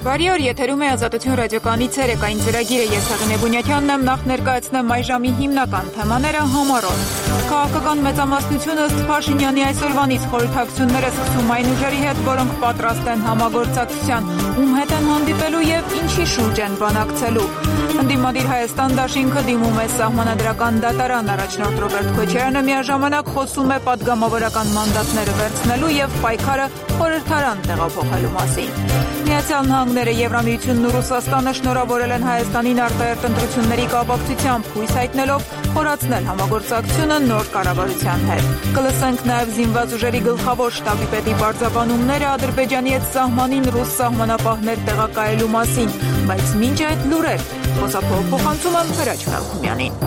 Բարի օր, եթերում է Ազատություն ռադիոկայանի ցերեկային ծրագիրը, ես Հեղինե Բունյաթյանն եմ, նախ ներկայացնեմ այս ժամի հիմնական թեմաները համառոտ։ Քաղաքական մեծամասնությունը ըստ Փաշինյանի այսօրվանից խորհրդակցությունները սկսում այն ուժերի հետ, որոնք պատրաստ են համագործակցության, ում հետ են հանդիպելու եւ ինչի շուրջ են բանակցելու։ Ընդդիմադիր Հայաստան դաշինքը դիմում է սահմանադրական դատարան, առաջնորդ Ռոբերտ Քոչարյանը միաժամանակ խոսում է падգամավորական մանդատները վերցնելու եւ պայքարը խորհրդարան տեղափոխելու մասին։ Միացյալ Նահանգները, Եվրամիությունն ու Ռուսաստանը շնորհավորել են Հայաստանին արտահերթ ընտրությունների կապակցությամբ, հույս հայտնելով խորացնել համագործակցությունը նոր կառավարության հետ։ Կլսենք նաև զինված ուժերի գլխավոր շտաբի պետի պարզաբանումները Ադրբեջանի հետ սահմանին ռուս սահմանապահներ տեղակայելու մասին, բայց մինչ այդ լուրեր, խոսափող փոխանցում եմ Հրաչ Մելքումյանին։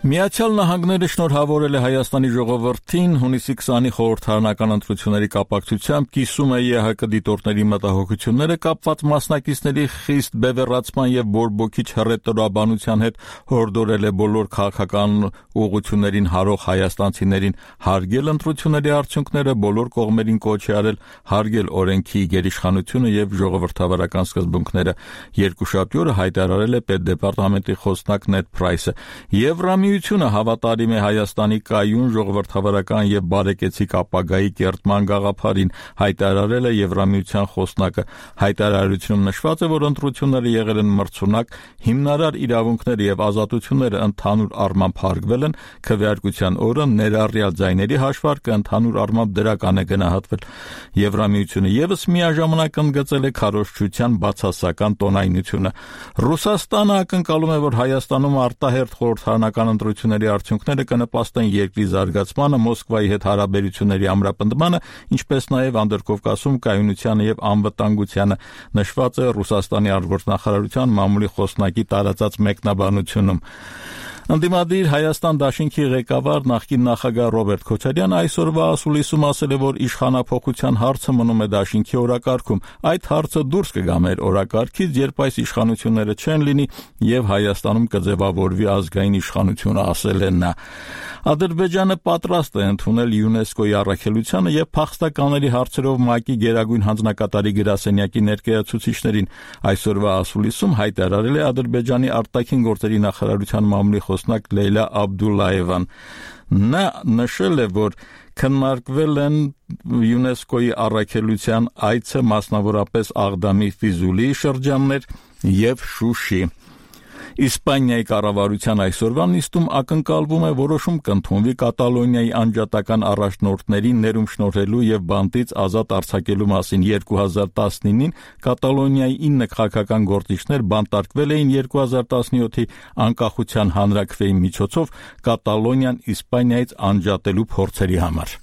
Միացյալ Նահանգները շնորհավորել է Հայաստանի ժողովրդին հունիսի 20-ի խորհրդարանական ընտրությունների կապակցությամբ, կիսում է ԵՀԿ դիտորդների մտահոգությունները կապված մասնակիցների խիստ բևեռացման եւ բորբոքիչ հռետորաբանության հետ, հորդորել է բոլոր քաղաքական ուղղություններին հարող հայաստանցիներին հարգել ընտրությունների արդյունքները, բոլոր կողմերին կոչ է արել հարգել օրենքի գերիշխանությունը եւ ժողովրդավարական սկզբունքները։ Երկուշաբթի օրը հայտարարել է Պետդեպարտամենտի խոսնակ Նեդ Պրայսը։ Եվրամիությունը հավատարիմ է Հայաստանի կայուն ժողովրդավարական եւ բարեկեցիկ ապագայի կերտման գաղափարին, հայտարարել է Եվրամիության խոսնակը։ Հայտարարությունում նշված է, որ ընտրությունները եղել են մրցունակ, հիմնարար իրավունքները եւ ազատությունները ընդհանուր առմամբ հարգվել են, քվեարկության օրը ներառյալ ձայների հաշվարկը ընդհանուր առմամբ դրական է գնահատվել։ Եվրամիությունը եւս միաժամանակ ընդգծել է քարոզչության բացասական տոնայնությունը։ Ռուսաստանը ակնկալում է, որ Հայաստանում արտահերթ խորհրդարանական ընտրությունների արդյունքները կնպաստեն երկրի զարգացմանը, Մոսկվայի հետ հարաբերությունների ամրապնդմանը, ինչպես նաև Անդրկովկասում կայունությանը եւ անվտանգությանը, նշված է Ռուսաստանի արտգործնախարարության մամուլի խոսնակի տարածած մեկնաբանությունում։ Ընդդիմադիր Հայաստան դաշինքի ղեկավար նախկին նախագահ Ռոբերտ Քոչարյանը այսօրվա ասուլիսում ասել է, որ իշխանափոխության հարցը մնում է դաշինքի օրակարգում։ Այդ հարցը դուրս կգա մեր օրակարգից, երբ այս իշխանությունները չեն լինի եւ Հայաստանում կձևավորվի ազգային իշխանությունը, ասել է նա։ Ադրբեջանը պատրաստ է ընդունել ՅՈՒՆԵՍԿՕ-ի առաքելությանը եւ փախստականների հարցերով ՄԱԿ-ի գերագույն հանձնակատարի գրասենյակի ներկայացուցիչներին։ Այսօրվա ասուլիսում հայտարարել է Ադրբեջանի արտաքին գործերի նախարարության մամուլի խոսնակ Լեյլա Աբդուլլաևան։ Նա նշել է, որ քննարկվել են ՅՈՒՆԵՍԿՕ-ի առաքելության այցը, մասնավորապես Աղդամի, Ֆիզուլիի շրջաններ եւ Շուշի։ Իսպանիայի կառավարության այսօրվա նիստում ակնկալվում է որոշում կընդունվի Կատալոնիայի անջատական առաջնորդներին ներում շնորհելու եւ բանտից ազատ արձակելու մասին։ 2019-ին Կատալոնիայի 9 քաղաքական գործիչներ բանտարկվել էին 2017-ի անկախության հանրաքվեի միջոցով Կատալոնիան Իսպանիայից անջատելու փորձերի համար։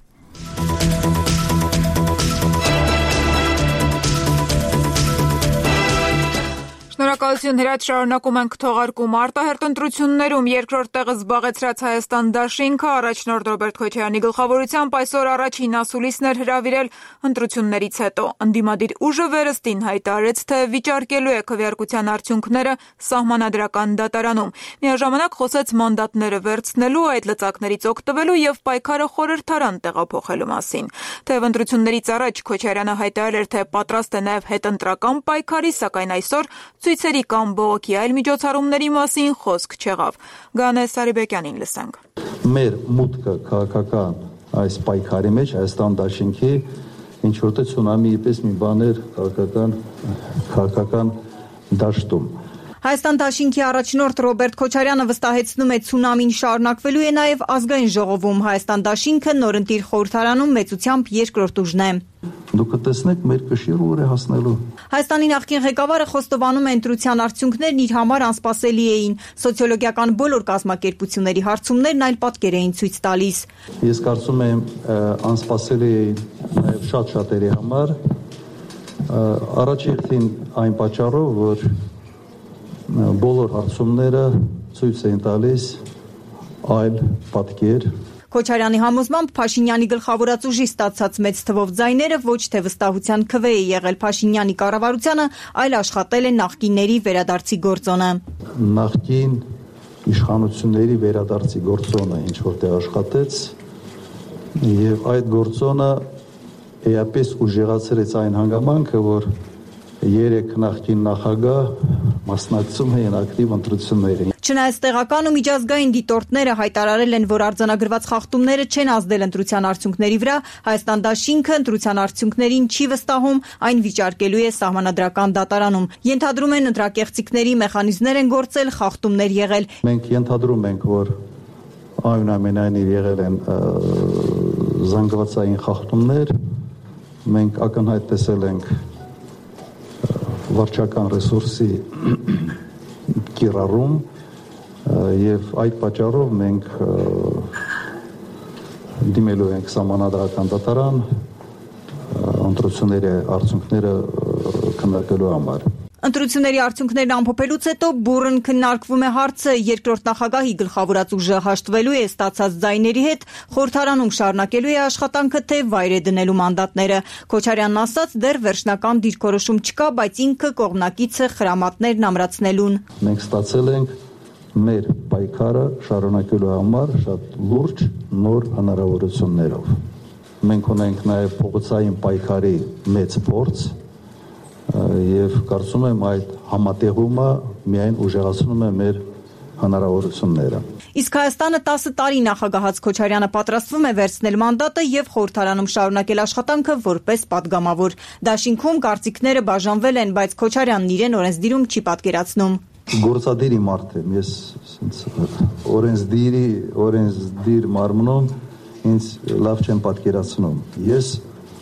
Շնորհակալություն, Հրաչ, շարունակում ենք թողարկում։ Արտահերթ ընտրություններում երկրորդ տեղը զբաղեցրած Հայաստան դաշինքը առաջնորդ Ռոբերտ Քոչարյանի գլխավորությամբ այսօր առաջին ասուլիսն էր հրավիրել ընտրություններից հետո։ Ընդդիմադիր ուժը վերստին հայտարարեց, թե վիճարկելու է քվեարկության արդյունքները սահմանադրական դատարանում։ Միաժամանակ խոսեց մանդատները վերցնելու, այդ լծակներից օգտվելու եւ պայքարը խորհրդարան տեղափոխելու մասին։ Թեև ընտրություններից առաջ Քոչարյանը հայտարարել էր, թե պատրաստ է նաեւ հետընտրական պայքարի, սակայն այսօր ցույցերի կամ բողոքի այլ միջոցառումների մասին խոսք չեղավ։ Գանե Սարիբեկյանին լսենք։ Մեր մուտքը քաղաքական այս պայքարի մեջ Հայաստան դաշինքի ինչ որտեղ ցունամիի պես մի բան էր քաղաքական դաշտում։ Հայաստան դաշինքի առաջնորդ Ռոբերտ Քոչարյանը վստահեցնում է ցունամին շարունակվելու է նաև ազգային ժողովում։ Հայաստան դաշինքը նորընտիր խորհրդարանում մեծությամբ երկրորդ ուժն է։ Դուք կտեսնեք մեր կշիռը ուր է հասնելու։ Հայաստանի նախկին ղեկավարը խոստովանում է ընտրության արդյունքներն իր համար անսպասելի էին։ Սոցիոլոգիական բոլոր կազմակերպությունների հարցումներն այլ պատկեր էին ցույց տալիս։ Ես կարծում եմ անսպասելի է նաև շատ-շատերի համար։ Առաջին այն պատճառով, որ բոլոր հարցումները ցույց են տալիս այլ պատկեր։ Քոչարյանի համոզմամբ Փաշինյանի գլխավորած ուժի ստացած մեծ թվով ձայները ոչ թե վստահության քվե է եղել Փաշինյանի կառավարությանը, այլ աշխատել է նախկինների վերադարձի գործոնը։ Նախկին իշխանությունների վերադարձի գործոնը ինչ որտեղ աշխատեց եւ այդ գործոնը էապես ուժեղացրեց այն հանգամանքը, որ 3 նախկին նախագահ մասնակցում էին ակտիվ ընտրություններին։ Չնայած տեղական ու միջազգային դիտորդները հայտարարել են, որ արձանագրված խախտումները չեն ազդել ընտրության արդյունքների վրա, Հայաստան դաշինքը ընտրության արդյունքներին չի վստահում, այն վիճարկելու է սահմանադրական դատարանում։ Ենթադրում են ընտրակեղծիքների մեխանիզմներ են գործել, խախտումներ եղել։ Մենք ենթադրում ենք, որ այնուամենայնիվ եղել են զանգվածային խախտումներ, մենք ակնհայտ տեսել ենք վարչական ռեսուրսի կիրառում եւ այդ պատճառով մենք դիմելու ենք սահմանադրական դատարան ընտրությունների արդյունքները քննարկելու համար։ Ընտրությունների արդյունքներն ամփոփելուց հետո բուռն քննարկվում է հարցը, երկրորդ նախագահի գլխավորած ուժը հաշտվելու է ստացած ձայների հետ, խորհրդարանում շարունակելու է աշխատանքը, թե վայր է դնելու մանդատները։ Քոչարյանն ասաց, դեռ վերջնական դիրքորոշում չկա, բայց ինքը կողմնակից է խրամատներն ամրացնելուն։ Մենք ստացել ենք մեր պայքարը շարունակելու համար շատ լուրջ նոր հնարավորություններով։ Մենք ունենք նաև փողոցային պայքարի մեծ փորձ եւ կարծում եմ այդ համատեղումը միայն ուժեղացնում է մեր հնարավորությունները։ Իսկ Հայաստանը 10 տարի նախագահած Քոչարյանը պատրաստվում է վերցնել մանդատը եւ խորհրդարանում շարունակել աշխատանքը որպես падգամավոր։ Դաշինքում կարծիքները բաժանվել են, բայց Քոչարյանն իրեն օրենսդիրում չի պատկերացնում։ Գործադիրի մարդ եմ, ես օրենսդիր մարմնում ինձ լավ չեմ պատկերացնում։ Ես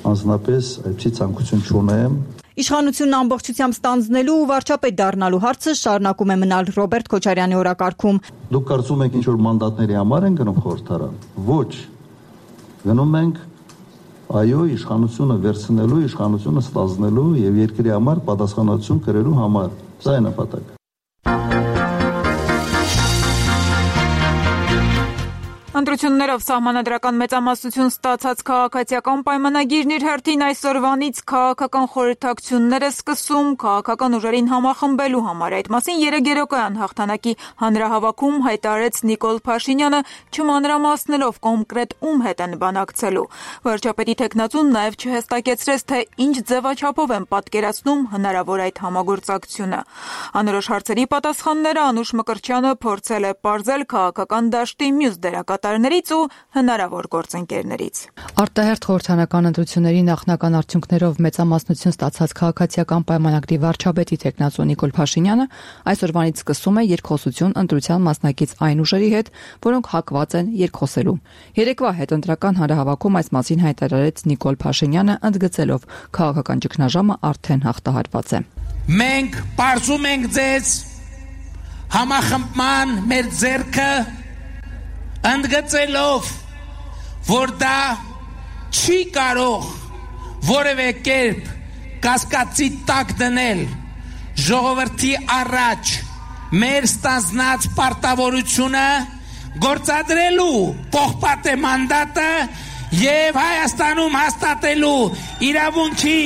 անձնապես այդպիսի ցանկություն չունեմ։ Իշխանությունն ամբողջությամբ ստանձնելու ու վարչապետ դառնալու հարցը շարունակում է մնալ Ռոբերտ Քոչարյանի օրակարգում։ Դուք կարծում եք ինչ-որ մանդատների համար են գնում խորհրդարան։ Ոչ։ Գնում ենք այո իշխանությունը վերցնելու, իշխանությունը ստանձնելու եւ երկրի համար պատասխանատվություն կրելու համար։ Սա է նպատակը։ Ընտրություններով սահմանադրական մեծամասնություն ստացած քաղաքացիական պայմանագիրն իր հերթին այսօրվանից քաղաքական խորհրդակցություններ է սկսում քաղաքական ուժերին համախմբելու համար։ Այդ մասին երեկոյան հաղթանակի հանրահավաքում հայտարարեց Նիկոլ Փաշինյանը, չմանրամասնելով կոնկրետ ում հետ են բանակցելու։ Վարչապետի տեխնացուն նաև չհստակեցրեց, թե ինչ ձևաչափով են պատկերացնում հնարավոր այդ համագործակցությունը։ Անորոշ հարցերի պատասխանները Անուշ Մկրտչյանը փորձել է պարզել քաղաքական դաշտի մյուս դերակատարներից ու հնարավոր գործընկերներից։ Արտահերթ խորհրդանական ընտրությունների նախնական արդյունքներով մեծամասնություն ստացած քաղաքացիական պայմանագրի վարչապետի տեխնացու Նիկոլ Փաշինյանը այսօրվանից սկսում է երկխոսություն ընտրության մասնակից այն ուժերի հետ, որոնք հակված են երկխոսելու։ Երեկվա հետընտրական հանրահավաքում այս մասին հայտարարեց Նիկոլ Փաշինյանը, ընդգծելով քաղաքական ճգնաժամը արդեն հաղթահարված է։ Մենք պարզում ենք ձեզ համախմբման մեր ձեռքը ընդգծելով, որ դա չի կարող որևէ կերպ կասկածի տակ դնել ժողովրդի առաջ մեր ստանձնած պարտավորությունը գործադրելու պողպատե մանդատը եւ Հայաստանում հաստատելու իրավունքի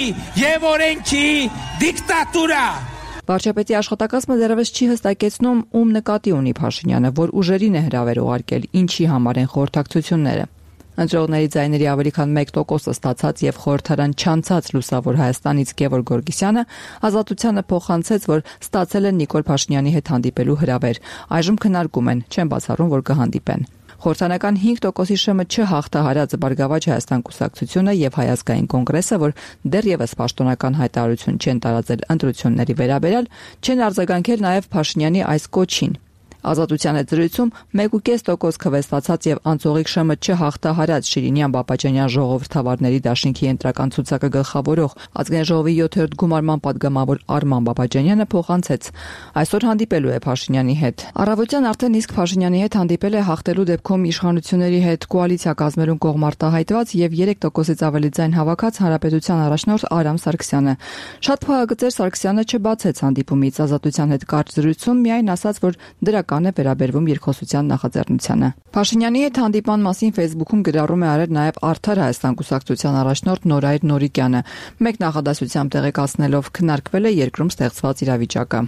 եւ օրենքի դիկտատուրա։ Վարչապետի աշխատակազմը դեռևս չի հստակեցնում, ում նկատի ունի Փաշինյանը, որ ուժերին է հրավեր ուղարկել, ինչի համար են խորհրդակցությունները։ Ընտրողների ձայների ավելի քան 1% ստացած եւ խորհրդարան չանցած Լուսավոր Հայաստանից Գևորգ Գորգիսյանը Ազատությանը փոխանցեց, որ ստացել են Նիկոլ Փաշինյանի հետ հանդիպելու հրավեր։ Այժմ քննարկում են, չեն բացառում, որ կհանդիպեն։ Խորհրդանական 5%-ի շեմը չհաղթահարած Բարգավաճ Հայաստան կուսակցությունը եւ Հայ ազգային կոնգրեսը, որ դեռևս պաշտոնական հայտարարություն չեն տարածել ընտրությունների վերաբերյալ, չեն արձագանքել նաեւ Փաշինյանի այս կոչին։ Ազատության հետ զրույցում 1.5% քվեստացած եւ անցողիկ շեմը չհաղթահարած Շիրինյան Բաբաջանյան ժողովրդավարների դաշինքի ընտրական ցուցակը գլխավորող Ազգային ժողովի 7-րդ գումարման падգամավոր Արման Բաբաջանյանը փոխանցեց. այսօր հանդիպելու է Փաշինյանի հետ։ Առավոտյան արդեն իսկ Փաշինյանի հետ հանդիպել է հաղթելու դեպքում իշխանությունների հետ կոալիցիա կազմելուն կողմ արտահայտված եւ 3%-ից ավելի ձայն հավաքած Հանրապետության առաջնորդ Արամ Սարգսյանը։ Շատ փոխագծեր Սարգսյանը չբացեց հանդիպումից, Ազատության հետ կարճ զրույցում միայն ասաց, որ դրական է վերաբերվում երկխոսության նախաձեռնությանը։ Փաշինյանի հետ հանդիպման մասին Facebook-ում գրառում է արել նաև Արդար Հայաստան կուսակցության առաջնորդ Նորայր Նորիկյանը, մեկ նախադասությամբ տեղեկացնելով քննարկվել է երկրում ստեղծված իրավիճակը։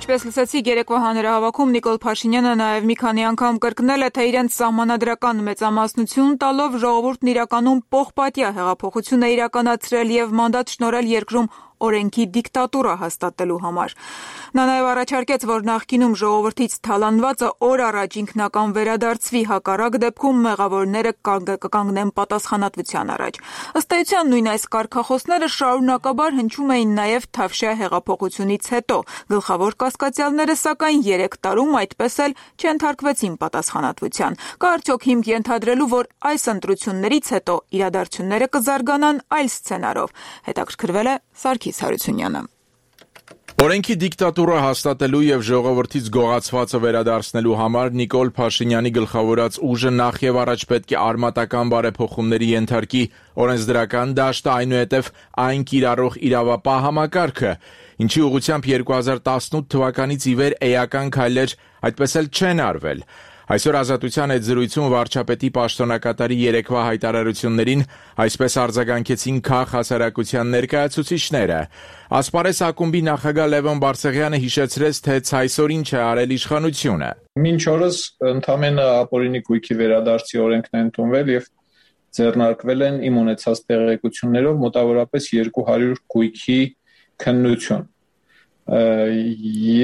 Ինչպես լսեցիք, երեկվա հանրահավաքում Նիկոլ Փաշինյանը նաև մի քանի անգամ կրկնել է, թե իրենց սահմանադրական մեծամասնություն տալով ժողովուրդն իրականում պողպատյա հեղափոխություն է իրականացրել եւ մանդատ շնորհել երկրում օրենքի դիկտատուրա հաստատելու համար։ Նա նաև առաջարկեց, որ նախկինում ժողովրդից թալանվածը օր առաջ ինքնական վերադարձվի, հակառակ դեպքում մեղավորները կկանգնեն պատասխանատվության առաջ։ Ըստ էության նույն այս կարգախոսները շարունակաբար հնչում էին նաև Թավշյա հեղափոխությունից հետո։ Գլխավոր կասկածյալները, սակայն 3 տարում այդպես էլ չենթարկվեցին պատասխանատվության։ Կա արդյոք հիմք ենթադրելու, որ այս ընտրություններից հետո իրադարձությունները կզարգանան այլ սցենարով։ Հետաքրքրվել է Սարգիս Հարությունյանը։ Օրենքի դիկտատուրա հաստատելու եւ ժողովրդից գողացվածը վերադարձնելու համար Նիկոլ Փաշինյանի գլխավորած ուժը նախ եւ առաջ պետք է արմատական բարեփոխումների ենթարկի օրենսդրական դաշտը, այնուհետև այն կիրառող իրավապահ համակարգը, ինչի ուղղությամբ 2018 թվականից ի վեր էական քայլեր այդպես էլ չեն արվել։ Այսօր Ազատության այդ զրույցում վարչապետի պաշտոնակատարի երեկվա հայտարարություններին այսպես արձագանքեցին քաղաք հասարակության ներկայացուցիչները։ Ասպարես ակումբի նախագահ Լևոն Բարսեղյանը հիշեցրեց, թե ցայսօր ինչ է արել իշխանությունը։ Մինչ օրս ընդամենը ապօրինի գույքի վերադարձի օրենքն է ընդունվել եւ ձեռնարկվել են իմ ունեցած տեղեկություններով մոտավորապես 200 գույքի քննություն։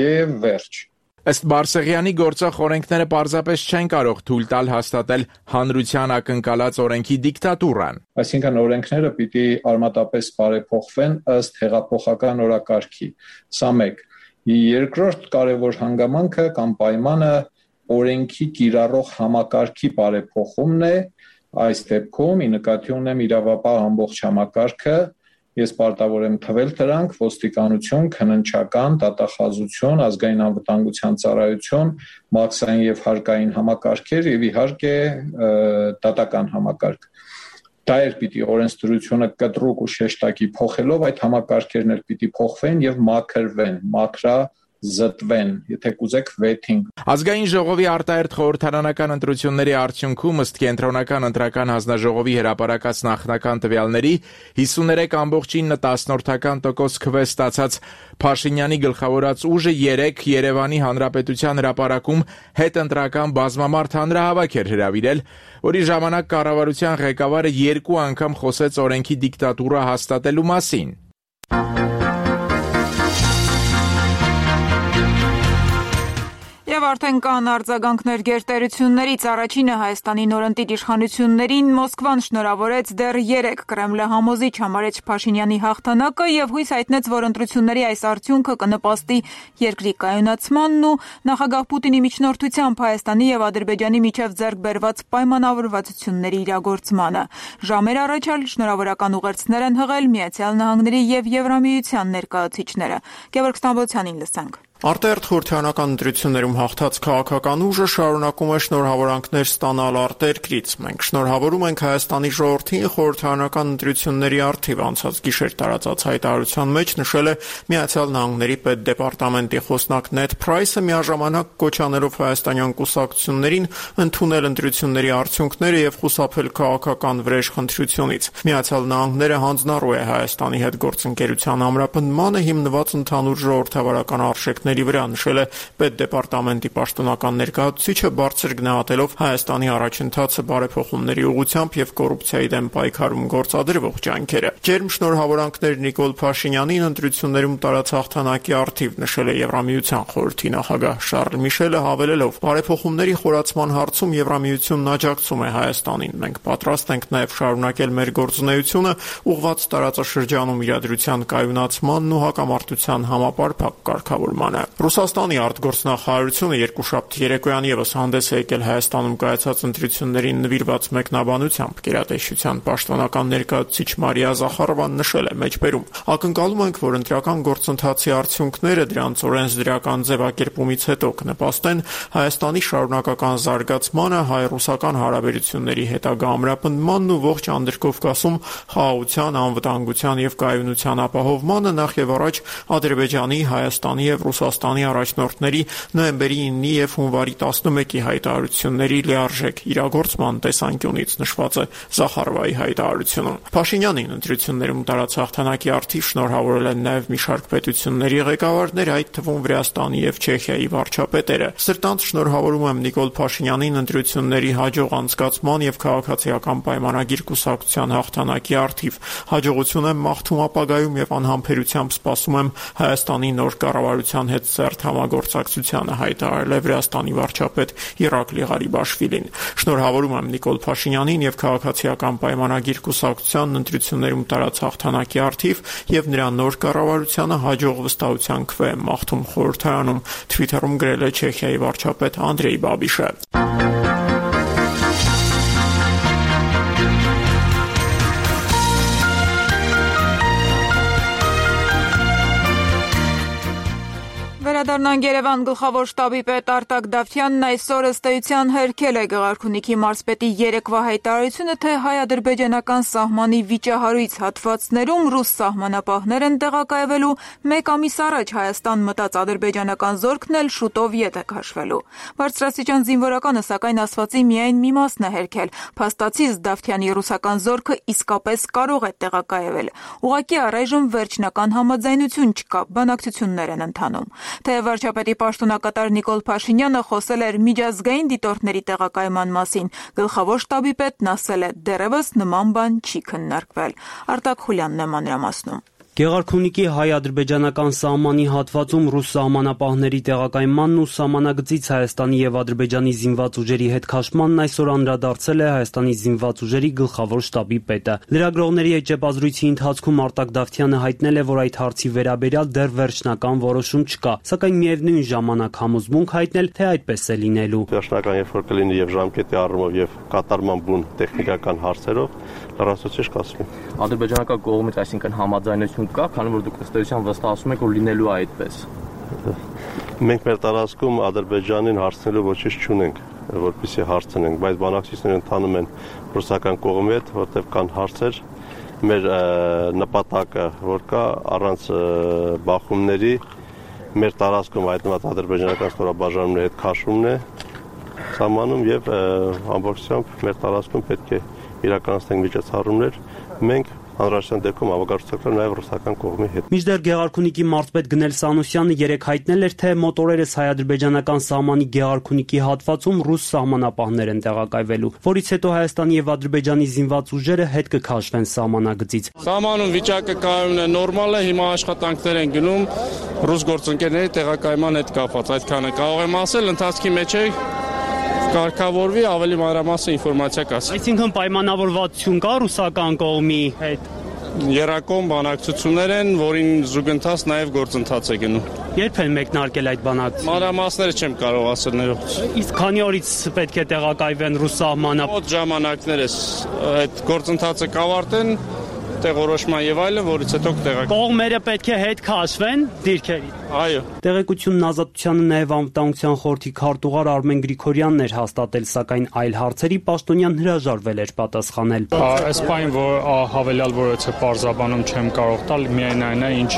Եվ վերջ։ Ըստ Բարսեղյանի գործող օրենքները պարզապես չեն կարող թույլ տալ հաստատել հանրության ակնկալած օրենքի դիկտատուրան։ Այսինքն օրենքները պիտի արմատապես բարեփոխվեն ըստ հեղափոխական օրակարգի։ Սա մեկ։ Երկրորդ կարևոր հանգամանքը կամ պայմանը օրենքի կիրառող համակարգի բարեփոխումն է։ Այս դեպքում ի նկատի ունեմ իրավապահ ամբողջ համակարգը։ Ես պարտավոր եմ թվել դրանք ոստիկանություն, քննչական, դատախազություն, ազգային անվտանգության ծառայություն, մաքսային եւ հարկային համակարգեր եւ իհարկե դատական համակարգ։ Դա էր պիտի օրենսդրությունը կտրուկ ու շեշտակի փոխելով այդ համակարգերն էլ պիտի փոխվեն եւ մաքրվեն, զտվեն, եթե կուզեք վեթին։ Ազգային ժողովի արտահերթ խորհրդարանական ընտրությունների արդյունքում ըստ կենտրոնական ընտրական հանձնաժողովի հրապարակած նախնական տվյալների 53.9% քվե ստացած Փաշինյանի գլխավորած ուժը 3 Երևանի Հանրապետության հրապարակում հետընտրական բազմամարդ հանրահավաք էր հրավիրել, որի ժամանակ կառավարության ղեկավարը 2 անգամ խոսեց օրենքի դիկտատուրա հաստատելու մասին։ Եվ արդեն կան արձագանքներ գերտերություններից, առաջինը Հայաստանի նորընտիր իշխանություններին Մոսկվան շնորհավորեց դեռ 3 Կրեմլը համոզիչ համարեց Փաշինյանի հաղթանակը եւ հույս հայտնեց, որ ընտրությունների այս արդյունքը կնպաստի երկրի կայունացմանն ու նախագահ Պուտինի միջնորդությամբ Հայաստանի եւ Ադրբեջանի միջև ձեռք բերված պայմանավորվածությունների իրագործմանը։ Ժամեր առաջ էլ շնորհավորական ուղերձներ են հղել Միացյալ Նահանգների եւ Եվրամիության ներկայացուցիչները։ Գևորգ Ստամբոլցյանին լսենք։ Արտերտ խորհրդարանական ընտրություններում հաղթած քաղաքական ուժը շարունակում է շնորհավորանքներ ստանալ արտերկրից։ Մենք շնորհավորում ենք Հայաստանի ժողովրդին խորհրդարանական ընտրությունների առթիվ անցած գիշեր տարածած հայտարարության մեջ նշել է Միացյալ Նահանգների պետդեպարտամենտի խոսնակ Նեդ Փրայսը միաժամանակ կոչանելով հայաստանյան կուսակցություններին ընդունել ընտրությունների արդյունքները եւ խուսափել քաղաքական վրեժխնդրությունից։ Միացյալ Նահանգները հանձնառու է Հայաստանի հետ գործընկերության ամրապնդմանը հիմնված ընդհանուր ժողովրդավարական արժեքների վրա, նշել է պետդեպարտամենտի պաշտոնական ներկայացուցիչը, բարձր գնահատելով Հայաստանի առաջընթացը բարեփոխումների ուղղությամբ եւ կոռուպցիայի դեմ պայքարում գործադրվող ջանքերը։ Ջերմ շնորհավորանքներ Նիկոլ Փաշինյանին ընտրություններում տարած հաղթանակի առթիվ, նշել է Եվրամիության խորհրդի նախագահ Շարլ Միշելը, հավելելով. բարեփոխումների խորացման հարցում Եվրամիությունն աջակցում է Հայաստանին։ Մենք պատրաստ ենք նաեւ շարունակել մեր գործունեությունը ուղղված տարածաշրջանում իրադրության կայունացմանն ու հակամարտության համապարփակ կարգավորմանը։ Ռուսաստանի արտգործնախարարությունը երկուշաբթի երեկոյան եւս հանդես է եկել Հայաստանում կայացած ընտրություններին նվիրված մեկնաբանությամբ։ Գերատեսչության պաշտոնական ներկայացուցիչ Մարիա Զախարովան նշել է մեջբերում. ակնկալում ենք, որ ընտրական գործընթացի արդյունքները դրանց օրենսդրական ձևակերպումից հետո կնպաստեն Հայաստանի շարունակական զարգացմանը, հայ-ռուսական հարաբերությունների հետագա ամրապնդմանն ու ողջ Անդրկովկասում խաղաղության, անվտանգության եւ կայունության ապահովմանը, նախ եւ առաջ Ադրբեջանի, Հայաստանի եւ Ռուսաստանի առաջնորդների նոյեմբերի 9-ի եւ հունվարի 11-ի հայտարարությունների լիարժեք իրագործման տեսանկյունից նշված է Զախարովայի հայտարարությունը։ Փաշինյանին ընտրություններում տարած հաղթանակի արդիվ շնորհավորել են նաեւ մի շարք պետությունների ղեկավարներ, այդ թվում Վրաստանի եւ Չեխիայի վարչապետերը։ Սրտանց շնորհավորում եմ Նիկոլ Փաշինյանին ընտրությունների հաջող անցկացման եւ քաղաքացիական պայմանագիր կուսակցության հաղթանակի արդիվ։ Հաջողություն եմ մաղթում ապագայում եւ անհամբերությամբ սպասում եմ Հայաստանի նոր կառավարության հետ սերտ համագործակցությանը, հայտարարել է Վրաստանի վարչապետ Իրակլի Ղարիբաշվիլին։ Շնորհավորում եմ Նիկոլ Փաշինյանին եւ քաղաքացիական պայմանագիր կուսակցության ընտրություններում տարած հաղթանակի արդիվ եւ նրա նոր կառավարությանը հաջող վստահության քվե եմ մաղթում խորհրդարանում, Twitter-ում գրել է Չեխիայի վարչապետ Անդրեյ Բաբիշը։ Վերադառնանք Երևան, գլխավոր շտաբի պետ Արտակ Դավթյանն այսօր ըստ էության հերքել է Գեղարքունիքի մարզպետի երեկվա հայտարարությունը, թե հայ-ադրբեջանական սահմանի վիճահարույց հատվածներում ռուս սահմանապահներ են տեղակայվելու, 1 ամիս առաջ Հայաստան մտած ադրբեջանական զորքն էլ շուտով ետ է քաշվելու։ Բարձրաստիճան զինվորականը սակայն ասվածի միայն մի մասն է հերքել, փաստացի Դավթյանի ռուսական զորքը իսկապես կարող է տեղակայվել։ Ուղղակի առայժմ վերջնական համաձայնություն չկա, բանակցություններ են ընթանում։ Թեև վարչապետի պաշտոնակատար Նիկոլ Փաշինյանը խոսել էր միջազգային դիտորդների տեղակայման մասին, գլխավոր շտաբի պետն ասել է՝ դեռևս նման բան չի քննարկվել։ Արտակ Խուլյանն է մանրամասնում։ Գեղարքունիքի հայ-ադրբեջանական սահմանի հատվածում ռուս սահմանապահների տեղակայմանն ու սահմանագծից Հայաստանի եւ Ադրբեջանի զինված ուժերի հետ քաշմանն այսօր անդրադարձել է Հայաստանի զինված ուժերի գլխավոր շտաբի պետը։ Լրագրողների հետ ճեպազրույցի ընթացքում Արտակ Դավթյանը հայտնել է, որ այդ հարցի վերաբերյալ դեռ վերջնական որոշում չկա, սակայն միևնույն ժամանակ համոզմունք հայտնել, թե այդպես է լինելու։ Վերջնական երբ որ կլինի եւ ժամկետի առումով եւ կատարման բուն տեխնիկական հարցերով լրացուցիչ կասվի։ Ադրբեջանական կողմից այսինքն համաձայնություն կա, քանի որ դուք ըստ էության վստահում եք, որ լինելու է այդպես։ Մենք մեր տարածքում Ադրբեջանին հարցնելու ոչինչ չունենք, որպեսզի հարցնենք, բայց բանակցությունները ընթանում են ռուսական կողմի հետ, որտեղ կան հարցեր, մեր նպատակը, որ կա առանց բախումների մեր տարածքում հայտնված ադրբեջանական ստորաբաժանումների հետ քաշումն է սահմանում եւ ամբողջությամբ մեր տարածքում պետք է իրականացնենք միջոցառումներ, մենք հանրաշրջան դեպքում ավագարկել նաև ռուսական կողմի հետ։ Մինչդեռ Գեղարքունիքի մարզպետ Գնել Սանոսյանը երեկ հայտնել էր, թե մոտորերս հայ-ադրբեջանական սահմանի Գեղարքունիքի հատվածում ռուս սահմանապահներ են տեղակայվելու, որից հետո Հայաստանի եւ Ադրբեջանի զինված ուժերը հետ կքաշվեն սահմանագծից։ Սահմանում վիճակը կայունն է, նորմալ է, հիմա աշխատանքներ են գնում ռուս գործընկերների տեղակայման հետ կապված, այդքանը կարող եմ ասել, ընթացքի մեջ է կարգավորվի ավելի մանրամասն ինֆորմացիա կասի։ Այսինքն պայմանավորվածություն կա ռուսական կողմի հետ։ Երակոմ բանակցություններ են, որին զուգընթաց նաև գործընթաց է գնում։ Երբ են մեկնարկել այդ բանակցությունները։ Մանրամասները չեմ կարող ասել ներողություն։ Իսկ քանի օրից պետք է տեղակայվեն ռուս սահմանապահ։ Մոտ ժամանակներս այդ գործընթացը կավարտեն, տեղորոշման եւ այլն, որից հետո կտեղակայվեն։ Կողմերը պետք է հետ քաշվեն դիրքերի։ Այո։ Տեղեկությունն Ազատությանը նաև անվտանգության խորհրդի քարտուղար Արմեն Գրիգորյանն էր հաստատել, սակայն այլ հարցերի պաշտոնյան հրաժարվել էր պատասխանել։ Այս բանը, որ հավելյալ որոցը պարզաբանում չեմ կարող տալ, միայն այն է, ինչ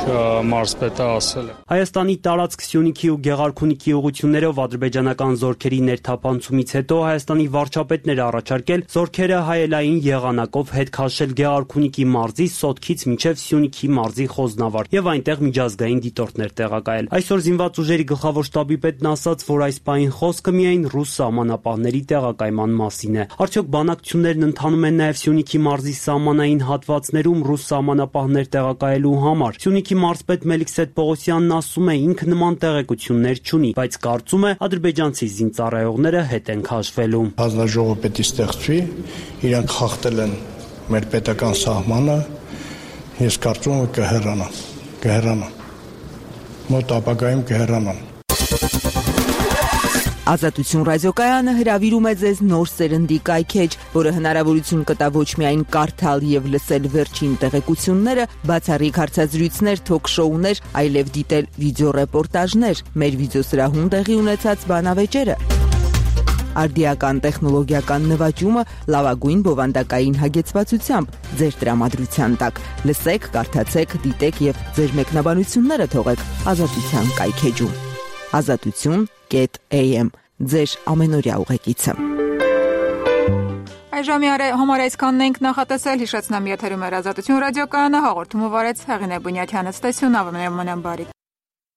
մարզպետը ասել է։ Հայաստանի տարածք Սյունիքի ու Գեղարքունիքի ուղղություններով ադրբեջանական զորքերի ներթափանցումից հետո Հայաստանի վարչապետն էր առաջարկել զորքերը հայելային եղանակով հետ քաշել Գեղարքունիքի մարզի Սոտքից մինչև Սյունիքի մարզի Խոզնավար եւ այնտեղ միջազգային դիտորդներ տեղակայել։ Այսօր զինված ուժերի գլխավոր շտաբի պետն ասաց, որ այս պահին խոսքը միայն ռուս սահմանապահների տեղակայման մասին է։ Արդյոք բանակցություններն ընթանում են նաև Սյունիքի մարզի սահմանային հատվածներում ռուս սահմանապահներ տեղակայելու համար։ Սյունիքի մարզպետ Մելիքսեթ Պողոսյանն ասում է, ինքը նման տեղեկություններ չունի, բայց կարծում է ադրբեջանցի զինծառայողները հետ են քաշվելու։ Հանձնաժողովը պետք է ստեղծվի, իրանք խախտել են մեր պետական սահմանը, ես կարծում եմ կհեռանան։ Մոտ ապագայում կհեռանան։ Ազատություն ռադիոկայանը հրավիրում է ձեզ նոր սերնդի կայքեջ, որը հնարավորություն կտա ոչ միայն կարդալ եւ լսել վերջին տեղեկությունները, բացառիկ հարցազրույցներ, թոք-շոուներ, այլև դիտել վիդեոռեպորտաժներ, մեր վիդեոսրահում տեղի ունեցած բանավեճերը։ Արդիական տեխնոլոգիական նվաճումը լավագույն բովանդակային հագեցվածությամբ ձեր տրամադրության տակ։ Լսեք, կարդացեք, դիտեք եւ ձեր մեկնաբանությունները թողեք Ազատության կայքեջում։ azatutsun.am ձեր ամենօրյա ուղեկիցը։ Այժմ համար այսքանն ենք նախատեսել, հիշեցնեմ եթերում էր Ազատություն ռադիոկայանը, հաղորդումը վարեց Հեղինե Բունյաթյանը, ստեսյուն ավնեմ բարի։